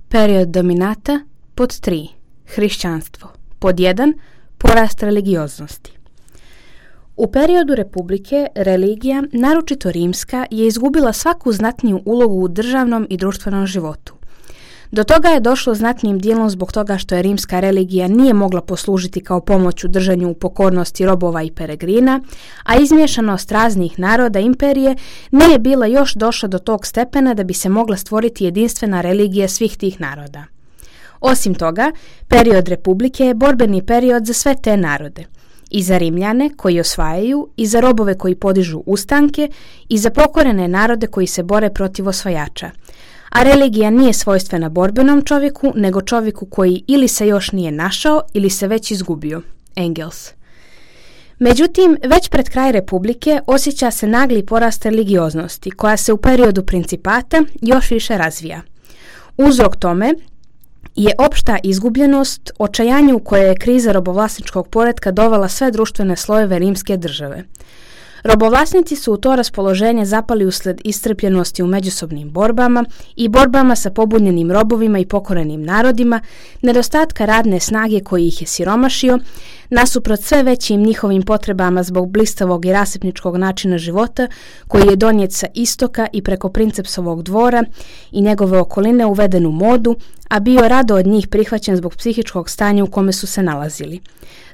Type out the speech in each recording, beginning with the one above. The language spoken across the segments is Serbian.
Period dominata. Pod 3. Hrišćanstvo. Pod 1. Porast religioznosti. U periodu republike religija, naročito rimska, je izgubila svaku znatniju ulogu u državnom i društvenom životu. Do toga je došlo znatnim dijelom zbog toga što je rimska religija nije mogla poslužiti kao pomoć u držanju u pokornosti robova i peregrina, a izmiješanost raznih naroda imperije nije bila još došla do tog stepena da bi se mogla stvoriti jedinstvena religija svih tih naroda. Osim toga, period republike je borbeni period za sve te narode. I za Rimljane koji osvajaju, i za robove koji podižu ustanke, i za pokorene narode koji se bore protiv osvajača. A religija nije svojstvena borbenom čovjeku, nego čovjeku koji ili se još nije našao ili se već izgubio. Engels. Međutim, već pred kraj republike osjeća se nagli porast religioznosti, koja se u periodu principata još više razvija. Uzrok tome je opšta izgubljenost, očajanje u koje je kriza robovlasničkog poretka dovela sve društvene slojeve rimske države. Robovlasnici su u to raspoloženje zapali usled iscrpljenosti u međusobnim borbama i borbama sa pobunjenim robovima i pokorenim narodima, nedostatka radne snage koji ih je siromašio, nasuprot sve većim njihovim potrebama zbog blistavog i rasipničkog načina života koji je donijet sa istoka i preko princepsovog dvora i njegove okoline uveden u modu, a bio rado od njih prihvaćen zbog psihičkog stanja u kome su se nalazili.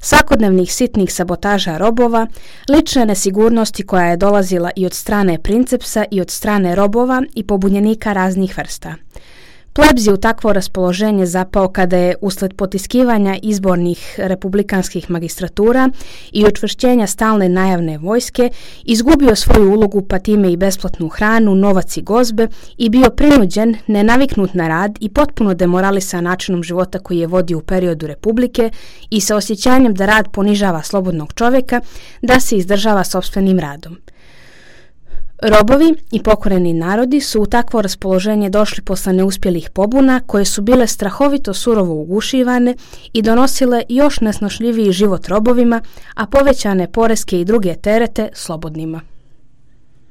Svakodnevnih sitnih sabotaža robova, lične nesigurnosti koja je dolazila i od strane princepsa i od strane robova i pobunjenika raznih vrsta. Plebs je u takvo raspoloženje zapao kada je usled potiskivanja izbornih republikanskih magistratura i učvršćenja stalne najavne vojske izgubio svoju ulogu pa time i besplatnu hranu, novac i gozbe i bio prinuđen, nenaviknut na rad i potpuno demoralisan načinom života koji je vodio u periodu republike i sa osjećanjem da rad ponižava slobodnog čovjeka, da se izdržava sopstvenim radom. Robovi i pokoreni narodi su u takvo raspoloženje došli posle neuspjelih pobuna koje su bile strahovito surovo ugušivane i donosile još nesnošljiviji život robovima, a povećane poreske i druge terete slobodnima.